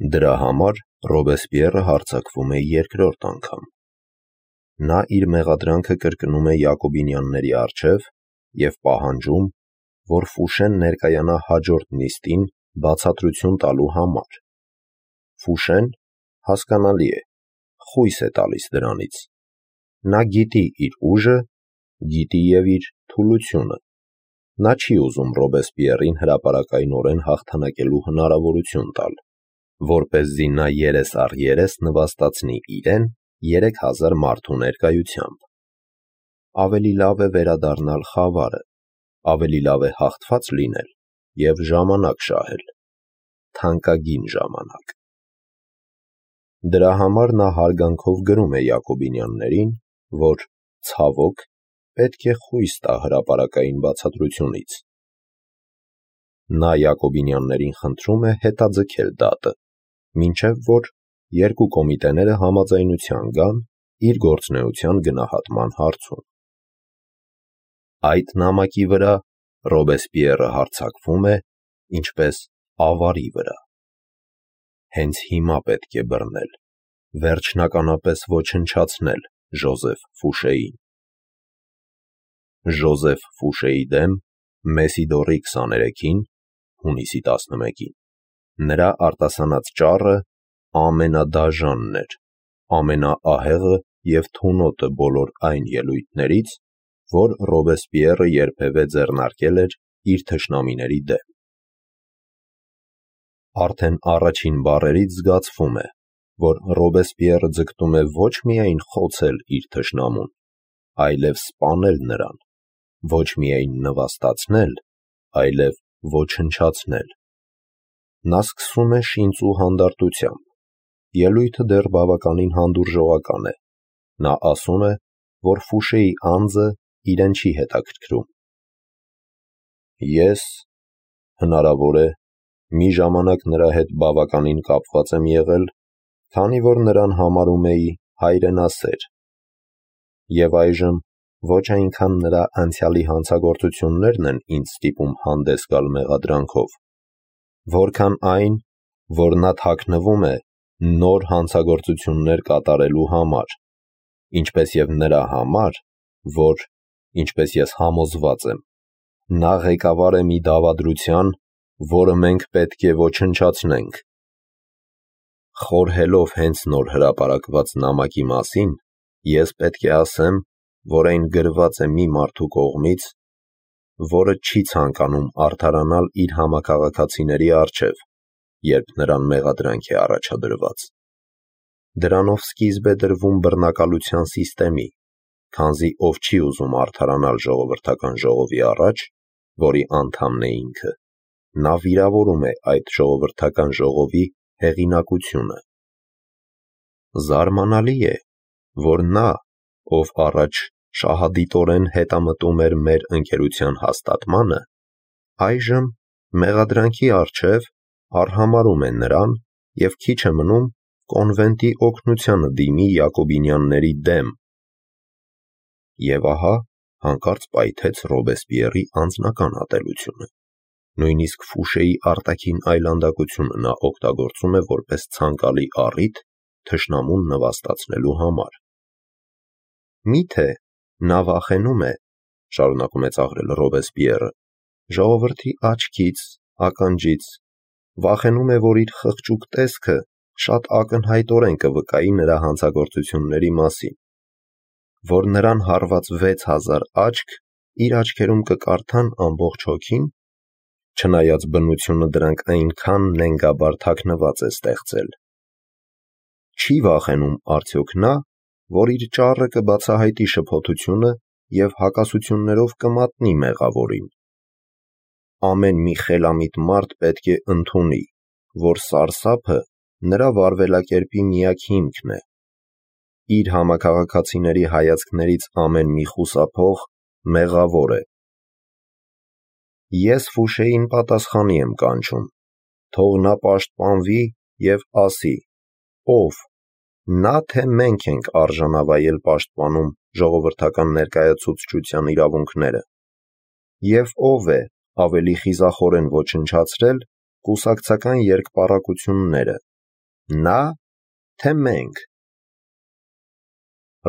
Դրա համար Ռոբեսպիերը հարձակվում է երկրորդ անգամ։ Նա իր մեղադրանքը կրկնում է Յակոբինյանների առջև և պահանջում, որ Ֆուշեն ներկայանա հաջորդ նիստին բացատրություն տալու համար։ Ֆուշեն, հասկանալի է, խույս է տալիս դրանից։ Նա գիտի իր ուժը, գիտի և իր թուլությունը։ Նա չի ուզում Ռոբեսպիերին հրապարակայնորեն հաղթանակելու հնարավորություն տալ, որպեսզի նա երես առ երես նվաստացնի իրեն 3000 մարդու ներկայությամբ։ Ավելի լավ է վերադառնալ խավարը, ավելի լավ է հաղթված լինել և ժամանակ շահել, թանկագին ժամանակ։ Դրա համար նա հարգանքով գրում է Յակոբինյաններին, որ, ցավոք, պետք է խույս տա հրապարակային բացատրությունից։ Նա Յակոբինյաններին խնդրում է հետաձգել դատը, մինչև որ երկու կոմիտեները համաձայնության գան իր գործունեության գնահատման հարցում։ Այդ նամակի վրա Ռոբեսպիերը հարձակվում է ինչպես ավարի վրա։ Հենց հիմա պետք է բռնել, վերջնականապես ոչնչացնել Ժոզեֆ Ֆուշեին։ Ժոզեֆ Ֆուշեի դեմ Մեսիդորի 23-ին, հունիսի 11-ին, նրա արտասանած ճառը ամենադաժանն էր, ամենաահեղը և թունոտը բոլոր այն ելույթներից, որ Ռոբեսպիերը երբևէ ձեռնարկել էր իր թշնամիների դեմ։ Արդեն առաջին բառերից զգացվում է, որ Ռոբեսպիերը ձգտում է ոչ միայն խոցել իր թշնամուն, այլև սպանել նրան, ոչ միայն նվաստացնել, այլև ոչնչացնել։ Նա սկսում է շինծու հանդարտությամբ։ Ելույթը դեռ բավականին հանդուրժողական է։ Նա ասում է, որ Ֆուշեի անձը իրեն չի հետաքրքրում։ Ես, հնարավոր է, մի ժամանակ նրա հետ բավականին կապված եմ եղել, քանի որ նրան համարում էի հայրենասեր։ Եվ այժմ ոչ այնքան նրա անցյալի հանցագործություններն են ինձ ստիպում հանդես գալ մեղադրանքով, որքան այն, որ նա թաքնվում է նոր հանցագործություններ կատարելու համար, ինչպես և նրա համար, որ, ինչպես ես համոզված եմ, նա ղեկավար է մի դավադրության, որը մենք պետք է ոչնչացնենք։ Խորհելով հենց նոր հրապարակված նամակի մասին, ես պետք է ասեմ, որ այն գրված է մի մարդու կողմից, որը չի ցանկանում արդարանալ իր համաքաղաքացիների առջև, երբ նրան մեղադրանք է առաջադրված։ Դրանով սկիզբ է դրվում բռնակալության սիստեմի, քանզի ով չի ուզում արդարանալ ժողովրդական ժողովի առաջ, որի անդամն է ինքը, նա վիրավորում է այդ ժողովրդական ժողովի հեղինակությունը։ Զարմանալի է, որ նա, ով առաջ շահադիտորեն հետամտում էր մեր ընկերության հաստատմանը, այժմ մեղադրանքի առջև արհամարհում է նրան և քիչ է մնում կոնվենտի օգնությանը դիմի Յակոբինյանների դեմ։ Եվ ահա հանկարծ պայթեց Ռոբեսպիերի անձնական ատելությունը։ Նույնիսկ Ֆուշեի արտաքին այլանդակությունը նա օգտագործում է որպես ցանկալի առիթ թշնամուն նվաստացնելու համար։ Միթե նա վախենում է, շարունակում է ծաղրել Ռոբեսպիերը, ժողովրդի աչքից, ականջից, վախենում է, որ իր խղճուկ տեսքը շատ ակնհայտորեն կվկայի նրա հանցագործությունների մասին, որ նրան հարված 6000 աչք իր աչքերում կկարդան ամբողջ հոգին, չնայած բնությունը դրանք այնքան նենգաբար թաքնված է ստեղծել։ Չի վախենում արդյոք նա, որ իր ճառը կբացահայտի շփոթությունը և հակասություններով կմատնի մեղավորին։ Ամեն մի խելամիտ մարդ պետք է ընդունի, որ սարսափը նրա վարվելակերպի միակ հիմքն է։ Իր համաքաղաքացիների հայացքներից ամեն մի խուսափող մեղավոր է։ Ես Ֆուշեին պատասխանի եմ կանչում, թող նա պաշտպանվի և ասի, ով, նա թե մենք ենք արժանավայել պաշտպանում ժողովրդական ներկայացուցչության իրավունքները, և ով է ավելի խիզախորեն ոչնչացրել կուսակցական երկպառակությունները, Նա, թե մենք։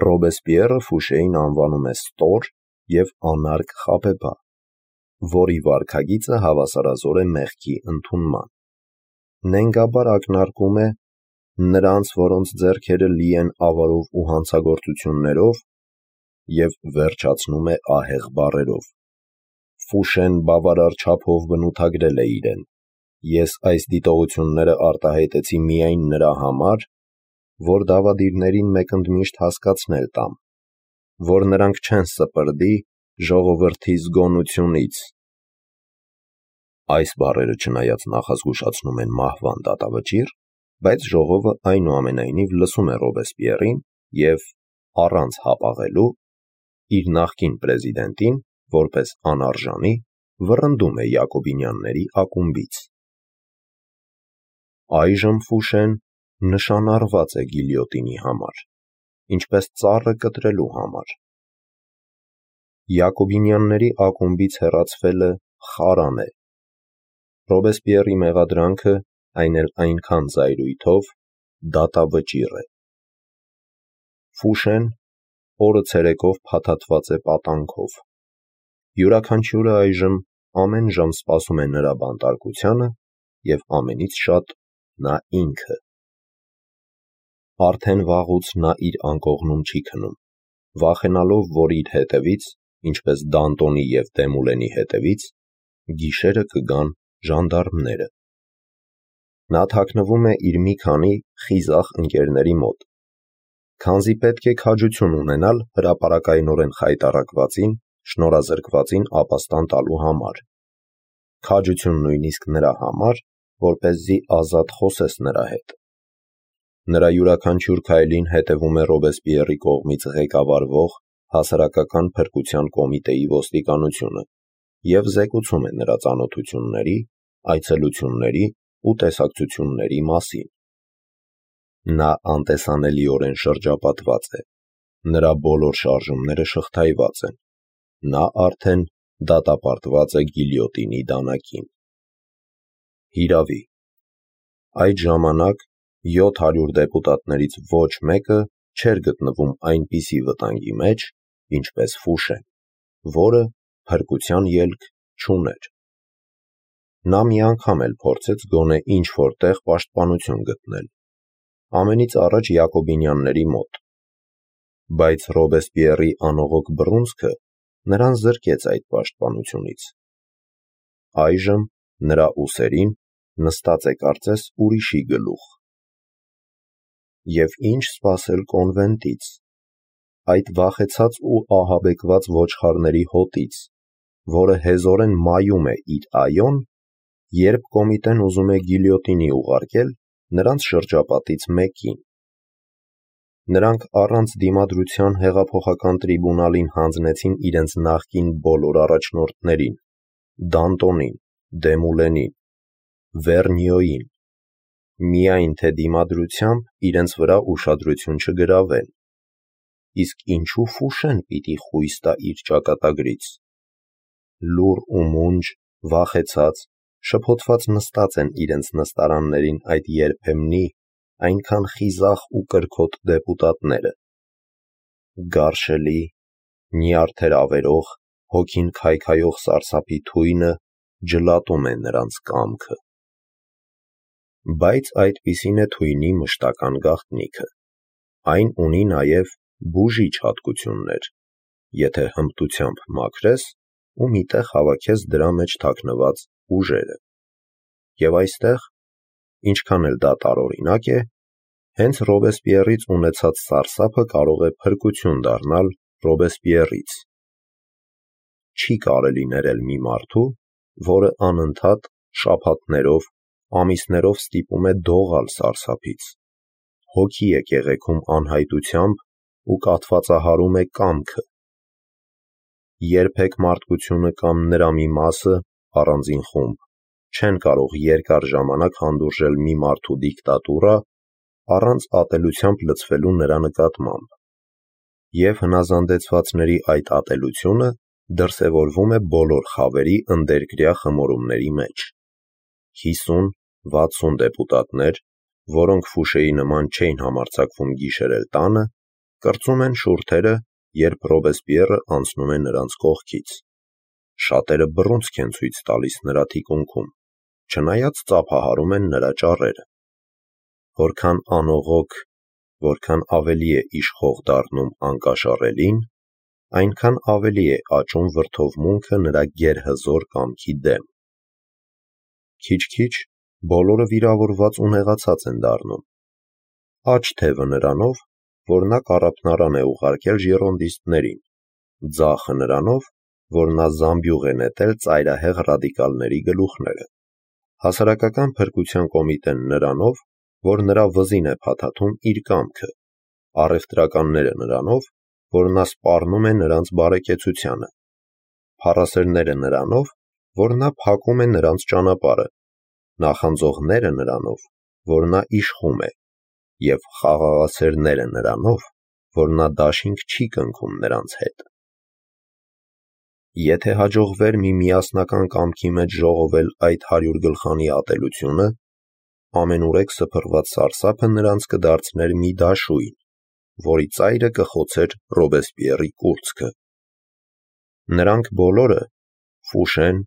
Ռոբեսպիերը Ֆուշեին անվանում է ստոր և անարգ խաբեբա, որի վարքագիծը հավասարազոր է մեղքի ընդունման։ Նենգաբար ակնարկում է նրանց, որոնց ձեռքերը լի են ավարով ու հանցագործություններով, և վերջացնում է ահեղ բառերով. Ֆուշեն բավարար չափով բնութագրել է իրեն. ես այս դիտողությունները արտահայտեցի միայն նրա համար, որ դավադիրներին մեկընդմիշտ հասկացնել տամ, որ նրանք չեն սպրդի ժողովրդի զգոնությունից։ Այս բառերը չնայած նախազգուշացնում են մահվան դատավճիռ, բայց ժողովը այնուամենայնիվ լսում է Ռոբեսպիերին և, առանց հապաղելու, իր նախկին պրեզիդենտին, որպես անարժանի, վռնդում է Յակոբինյանների ակումբից։ Այժմ Ֆուշեն նշանառված է գիլյոտինի համար, ինչպես ծառը կտրելու համար։ Յակոբինյանների ակումբից հեռացվելը խարան է։ Ռոբեսպիերի մեղադրանքը, այն էլ այնքան զայրույթով, դատավճիռ է։ Ֆուշեն օրը ցերեկով փաթաթված է պատանքով։ Յուրաքանչյուրը այժմ ամեն ժամ սպասում է նրա բանտարկությանը և ամենից շատ նա ինքը։ Արդեն վաղուց նա իր անկողնում չի քնում, վախենալով, որ իր հետևից, ինչպես Դանտոնի և Դեմուլենի հետևից, գիշերը կգան ժանդարմները։ Նա թաքնվում է իր մի քանի խիզախ ընկերների մոտ, քանզի պետք է քաջություն ունենալ հրապարակայնորեն խայտառակվածին, շնորհազրկվածին ապաստան տալու համար, քաջություն նույնիսկ նրա համար, որպեսզի ազատ խոսես նրա հետ։ Նրա յուրաքանչյուր քայլին հետևում է Ռոբեսպիերի կողմից ղեկավարվող հասարակական փրկության կոմիտեի ոստիկանությունը և զեկուցում է նրա ծանոթությունների, այցելությունների ու տեսակցությունների մասին։ Նա անտեսանելիորեն շրջապատված է, նրա բոլոր շարժումները շղթայված են, նա արդեն դատապարտված է գիլյոտինի դանակին։ Հիրավի, այդ ժամանակ 700 դեպուտատներից ոչ մեկը չէր գտնվում այնպիսի վտանգի մեջ, ինչպես Ֆուշեն, որը փրկության ելք չուներ։ Նա մի անգամ էլ փորձեց գոնե ինչ-որ տեղ պաշտպանություն գտնել, ամենից առաջ Յակոբինյանների մոտ, բայց Ռոբեսպիերի անողոք բռունցքը նրան զրկեց այդ պաշտպանությունից։ Այժմ նրա ուսերին նստած է կարծես ուրիշի գլուխ։ Եվ ինչ սպասել կոնվենտից, այդ վախեցած ու ահաբեկված ոչխարների հոտից, որը հեզորեն մայում է իր այոն, երբ կոմիտեն ուզում է գիլյոտինի ուղարկել նրանց շրջապատից մեկին։ Նրանք առանց դիմադրության հեղափոխական տրիբունալին հանձնեցին իրենց նախկին բոլոր առաջնորդներին՝ Դանտոնին, Դեմուլենին, Վերնյոյին, միայն թե դիմադրությամբ իրենց վրա ուշադրություն չգրավեն։ Իսկ ինչու Ֆուշեն պիտի խույս տա իր ճակատագրից։ Լուռ ու մունջ, վախեցած, շփոթված նստած են իրենց նստարաններին այդ երբեմնի, այնքան խիզախ ու կրքոտ դեպուտատները։ Գարշելի, նյարդեր ավերող, հոգին քայքայող սարսափի թույնը ջլատում է նրանց կամքը։ Բայց այդպիսին է թույնի մշտական գաղտնիքը։ Այն ունի նաև բուժիչ հատկություններ, եթե հմտությամբ մաքրես ու մի տեղ հավաքես դրա մեջ թաքնված ուժերը։ Եվ այստեղ, ինչքան էլ դա տարօրինակ է, հենց Ռոբեսպիերից ունեցած սարսափը կարող է փրկություն դառնալ Ռոբեսպիերից։ Չի կարելի ներել մի մարդու, որը անընդհատ շաբաթներով, ամիսներով ստիպում է դողալ սարսափից, հոգի է կեղեքում անհայտությամբ ու կաթվածահարում է կամքը։ Երբեք մարդկությունը կամ նրա մի մասը, առանձին խումբ, չեն կարող երկար ժամանակ հանդուրժել մի մարդու դիկտատուրա առանց ատելությամբ լցվելու նրա նկատմամբ, և հնազանդեցվածների այդ ատելությունը դրսևորվում է բոլոր խավերի ընդերկրյա խմորումների մեջ։ 50-60 դեպուտատներ, որոնք Ֆուշեի նման չէին համարձակվում գիշերել տանը, կրծում են շուրթերը, երբ Ռոբեսպիերը անցնում է նրանց կողքից։ Շատերը բռունցք են ցույց տալիս նրա թիկունքում, չնայած ծափահարում են նրա ճառերը։ Որքան անողոք, որքան ավելի է իշխող դառնում անկաշառելին, այնքան ավելի է աճում վրդովմունքը նրա գերհզոր կամքի դեմ։ Քիչ-քիչ բոլորը վիրավորված ու նեղացած են դառնում։ Աջ թևը նրանով, որ նա կառափնարան է ուղարկել ժիրոնդիստներին, ձախը նրանով, որ նա զամբյուղ է նետել ծայրահեղ ռադիկալների գլուխները, հասարակական փրկության կոմիտեն նրանով, որ նրա վզին է փաթաթում իր կամքը, առևտրականները նրանով, որ նա սպառնում է նրանց բարեկեցությանը, փառասերները նրանով, որ նա փակում է նրանց ճանապարհը, նախանձողները նրանով, որ նա իշխում է, և խաղաղասերները նրանով, որ նա դաշինք չի կնքում նրանց հետ։ Եթե հաջողվեր մի միասնական կամքի մեջ ժողովել այդ 100 գլխանի ատելությունը, ամենուրեք սփռված սարսափը նրանց կդարձներ մի դաշույն, որի ծայրը կխոցեր Ռոբեսպիերի կուրծքը։ Նրանք բոլորը՝ Ֆուշեն,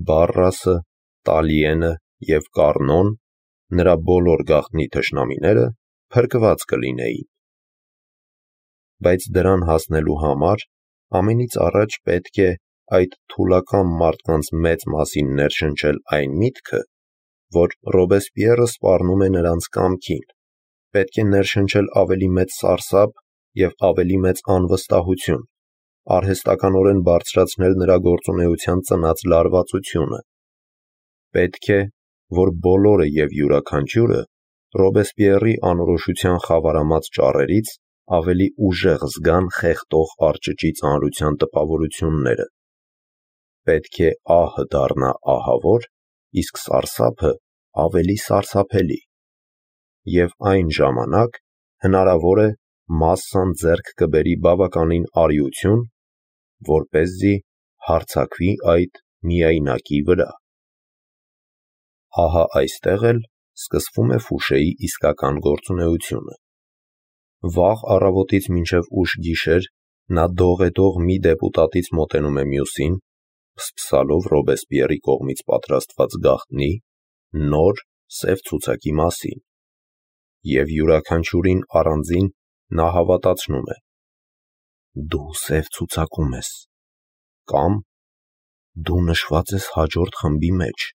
Բարրասը, Տալիենը և Կառնոն, նրա բոլոր գաղտնի թշնամիները, փրկված կլինեին։ Բայց դրան հասնելու համար ամենից առաջ պետք է այդ թուլակամ մարդկանց մեծ մասին ներշնչել այն միտքը, որ Ռոբեսպիերը սպառնում է նրանց կամքին, պետք է ներշնչել ավելի մեծ սարսափ և ավելի մեծ անվստահություն, արհեստականորեն բարձրացնել նրա գործունեության ծնած լարվածությունը։ Պետք է, որ բոլորը և յուրաքանչյուրը Ռոբեսպիերի անորոշության խավարամած ճառերից ավելի ուժեղ զգան խեղդող արճճի ծանրության տպավորությունները։ Պետք է ահը դառնա ահավոր, իսկ սարսափը ավելի սարսափելի։ Եվ այն ժամանակ հնարավոր է մասսան ձեռք կբերի բավականին արիություն, որպեսզի հարձակվի այդ միայնակի վրա։ Ահա այստեղ էլ սկսվում է Ֆուշեի իսկական գործունեությունը։ Վաղ առավոտից մինչև ուշ գիշեր նա դողեդող մի դեպուտատից մոտենում է մյուսին, փսփսալով Ռոբեսպիերի կողմից պատրաստված գաղտնի, նոր, սև ցուցակի մասին, և յուրաքանչյուրին առանձին նա հավատացնում է. «Դու սև ցուցակում ես» կամ «Դու նշված ես հաջորդ խմբի մեջ»։